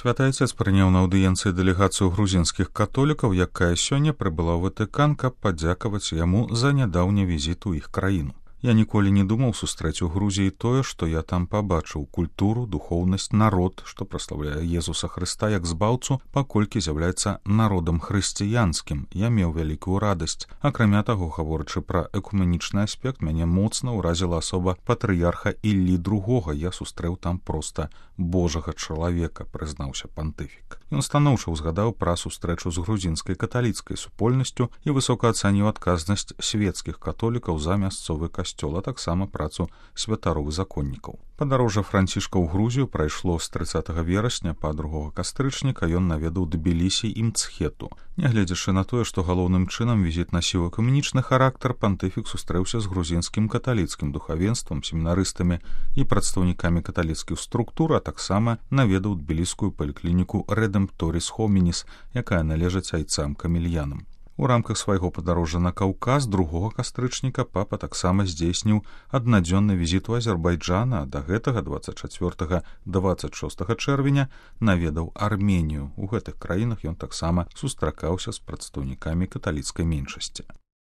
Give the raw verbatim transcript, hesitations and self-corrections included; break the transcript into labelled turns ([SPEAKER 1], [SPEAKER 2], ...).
[SPEAKER 1] Святы Отец прыняў на аўдыенцыі дэлегацыю грузінскіх католікаў, якая сёння прыбыла ў Ватыкан, каб падзякаваць яму за нядаўні візіт у іх краіну. Я ніколі не думаў сустрэць у Грузіі тое, што я там пабачыў: культуру, духоўнасць, народ, што праслаўляе Езуса Хрыста як збаўцу, паколькі з'яўляецца народам хрысціянскім. Я меў вялікую радасць. Акрамя таго, гаворачы пра экуменічны аспект, мяне моцна ўразіла асоба патрыярха Іллі другога. Я сустрэў там проста божага чалавека, прызнаўся пантыфік. Ён станоўча ўзгадаў пра сустрэчу з грузінскай каталіцкай супольнасцю і высока ацаніў адказнасць свецкіх католікаў за мясцовы касцёл, а таксама працу святаровых законнікаў. Падарожжа Францішка ў Грузію прайшло з трыццатага верасня па другога кастрычніка. Ён наведаў Тбілісі і Мцхету. Нягледзячы на тое, што галоўным чынам візіт насіў экуменічны характар, пантыфік сустрэўся з грузінскім каталіцкім духавенствам, семінарыстамі і прадстаўнікамі каталіцкіх структур, а таксама наведаў тбіліскую паліклініку Редемпторіс Хомініс, якая належыць айцам-камельянам. У рамках свайго падарожжа на Каўказ другога кастрычніка папа таксама здзейсніў аднадзённы візіт у Азербайджана, а да гэтага дваццаць чацвёртага - дваццаць шостага чэрвеня наведаў Арменію. У гэтых краінах ён таксама сустракаўся з прадстаўнікамі каталіцкай меншасці.